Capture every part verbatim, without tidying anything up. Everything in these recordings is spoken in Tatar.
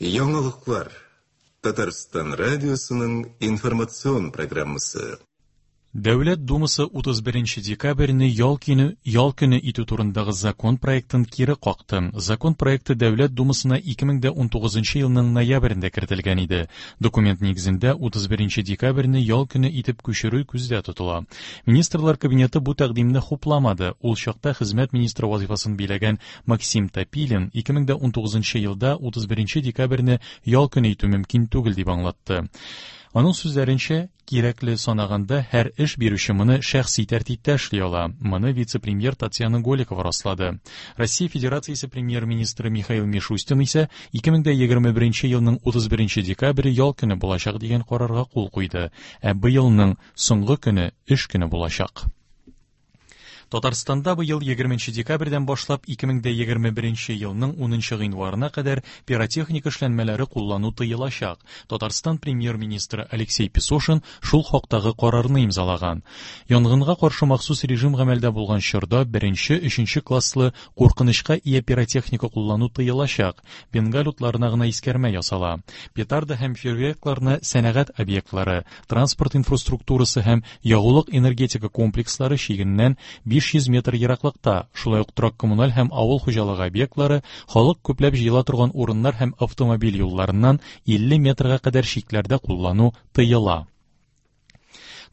Яңалыклар. Татарстан радиосының информацион программасы. Дәүләт Думасы утыз беренче декабрьне ял көне, ял көне итү турындагы закон проектын кире какты. Закон проекты Дәүләт Думасына ике мең дә унтугызынчы елның ноябрендә кертелгән иде. Документ нигезендә утыз беренче декабрьне ял көне итеп күчерү күздә тотыла. Министрлар кабинеты бу тәкъдимне хупламады. Ул чакта хезмәт министры вазифасын биләгән Максим Топилин ике мең дә унтугызынчы елда утыз беренче декабрьне ял көне итү мөмкин түгел дип аңлатты. Аның сүзләренчә, кирәкле санаганда һәр эш бирүче моны шәхси тәртиптә эшли ала. Моны вице-премьер Татьяна Голикова раслады. Россия Федерациясе премьер-министры Михаил Мишустин исә ике мең дә егерме беренче елның утыз беренче декабре ял көне булачак дигән карарга кул куйды. Ә быелның соңгы көне эш көне булачак. Татарстанда быел егерменче декабрьдән башлап ике мең дә егерме беренче елның унынчы гыйнварына кадәр пиротехника эшләнмәләре куллану тыелачак. Татарстан премьер-министры Алексей Песошин шул хактагы карарны имзалаган. Янгынга каршы махсус режим гамәлдә булган чорда беренче, өченче класслы куркынычка ия пиротехника куллану тыелачак. Бенгаль утларына гына искәрмә ясала. Петарда һәм фейерверкларны сәнәгать объектлары, транспорт инфраструктурасы һәм ягулык энергетика комплекслары чигеннән биш йөз метр ераклыкта, шулай ук торак коммуналь һәм авыл хуҗалыгы объектлары, халык күпләп җыела торган урыннар һәм автомобиль юлларыннан илле метрга кадәр чикләрдә куллану тыела.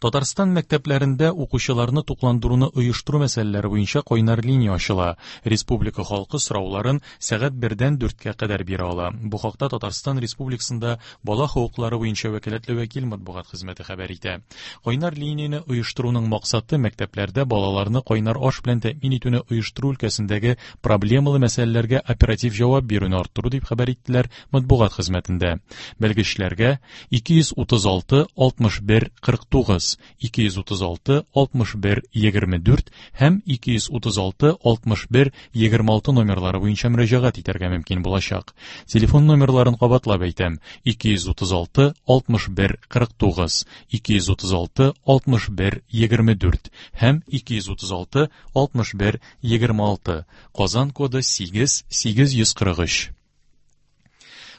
Татарстан мәктәпләрендә укучыларны тукландыруны оештыру мәсьәләләре буенча кайнар линия ачыла. Республика халкы сорауларын сәгать бердән дүрткә кадәр бирә ала. Бу хакта Татарстан Республикасында бала хокуклары буенча вәкаләтле вәкил матбугат хезмәте хәбәр итә. Кайнар линияне оештыруның максаты мәктәпләрдә балаларны кайнар аш белән тәэмин итүне оештыру өлкәсендәге проблемалы мәсьәләләргә оператив җавап бирүне арттыру дип хәбәр иттеләр матбугат хезмәтендә. Белгечләргә ике йөз утыз алты алтмыш бер кырык тугыз, ике йөз утыз алты алтмыш бер егерме дүрт һәм ике йөз утыз алты алтмыш бер егерме алты номерлары буенча мөрәҗәгать итәргә мөмкин булачак. Телефон номерларын кабатлап әйтәм: ике йөз утыз алты алтмыш бер кырык тугыз, ике йөз утыз алты алтмыш бер егерме дүрт һәм ике йөз утыз алты алтмыш бер егерме алты. Казан коды сигез сигез йөз кырык өч.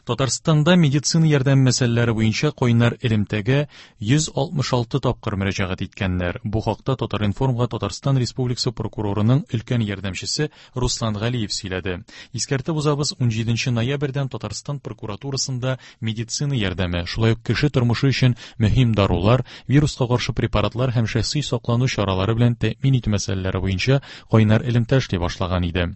Татарстанда медицина ярдәм мәсьәләләре буенча кайнар элемтәгә йөз алтмыш алты тапкыр мөрәҗәгать иткәннәр. Бу хакта Татар-информга Татарстан Республикасы прокурорының өлкән ярдәмчесе Руслан Галиев сөйләде. Искәртеп узабыз, унҗиденче ноябрьдән Татарстан прокуратурасында медицина ярдәме, шулай ук кеше тормышы өчен мөһим дарулар, вируска каршы препаратлар һәм шәхси саклану чаралары белән тәэмин итү мәсьәләләре буенча кайнар элемтә эшли башлаган иде.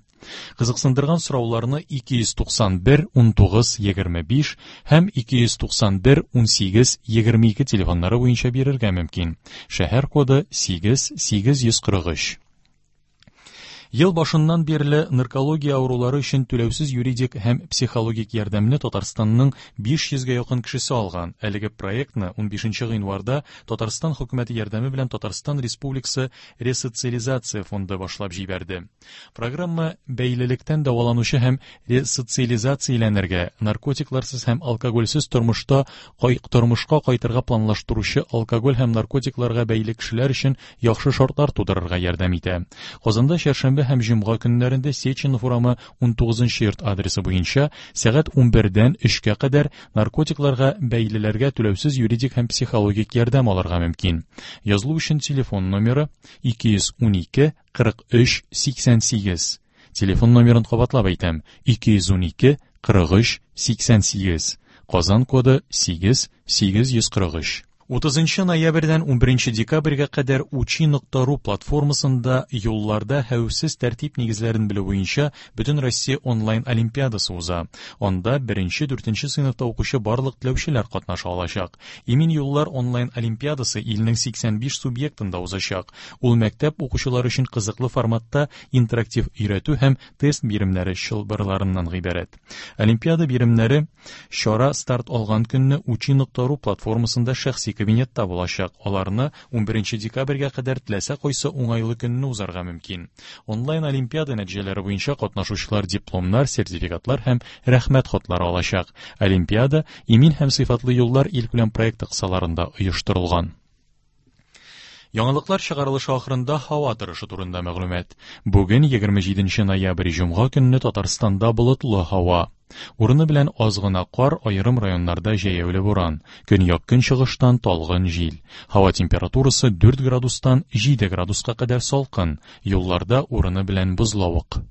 Кызыксындырган сорауларны ике йөз туксан бер унтугыз егерме биш һәм ике йөз туксан бер унсигез егерме ике телефоннары буенча бирергә мөмкин. Шәһәр коды сигез сигез йөз кырык өч. Ел башыннан бирле наркология авырулары өчен түләүсез юридик һәм психологик ярдәмне Татарстанның биш йөзгә якын кешесе алган. Әлеге проектны унбишенче гыйнварда Татарстан хөкүмәте ярдәме белән Татарстан Республикасы Ресоциализация фонды башлап җибәрде. Программа бәйлелектән дәваланучы һәм ресоциализацияләнергә, наркотикларсыз һәм алкогольсез тормышта кай-, тормышка кайтырга планлаштыручы алкоголь һәм наркотикларга бәйле кешеләр өчен яхшы шартлар тудырырга ярдәм итә. Казанда чәршәмбе һәм җомга көннәрендә Сеченов урамы унтугызынчы йорт адресы буенча сәгать унбердән өчкә кадәр наркотикларга бәйлеләргә түләүсез юридик һәм психологик ярдәм алырга мөмкин. Язылу өчен телефон номеры ике йөз унике кырык өч сиксән сигез. Телефон номерын кабатлап әйтәм: ике йөз унике кырык өч сиксән сигез. Казан коды сигез сигез йөз кырык өч. Утызынчы ноябрьдән унберенче декабрьгә кадәр учи нокта ру платформасында юлларда хәвефсез тәртип нигезләрен белү буенча Бөтен Россия онлайн олимпиадасы уза. Анда беренче, дүртенче сыйныфта укучы барлык теләүчеләр катнаша алачак. Имин юллар онлайн олимпиадасы илнең сиксән биш субъектында узачак. Ул мәктәп укучылары өчен кызыклы форматта интерактив өйрәтү һәм тест биремнәре чылбырларыннан гыйбарәт. Олимпиада биремнәре чара старт алган көнне учи нокта ру платформасында шәхси кабинетта булачак. Аларны унберенче декабрьгә кадәр теләсә кайсы уңайлы көнне узарга мөмкин. Онлайн олимпиада нәтиҗәләре буенча катнашучылар дипломнар, сертификатлар һәм рәхмәт хатлары алачак. Олимпиада имин һәм сыйфатлы юллар илкүләм проекты кысаларында оештырылган. Яңалыклар чыгарылышы ахырында һава торышы турында мәгълүмат. Бүген егерме җиденче ноябрь җомга көнне Татарстанда болытлы һава. Урыны белән аз гына кар, аерым районнарда җәяүле буран. Көньяк-көнчыгыштан талгын җил. Һава температурасы дүрт градустан җиде градуска кадәр салкын. Юлларда урыны белән бозлавык.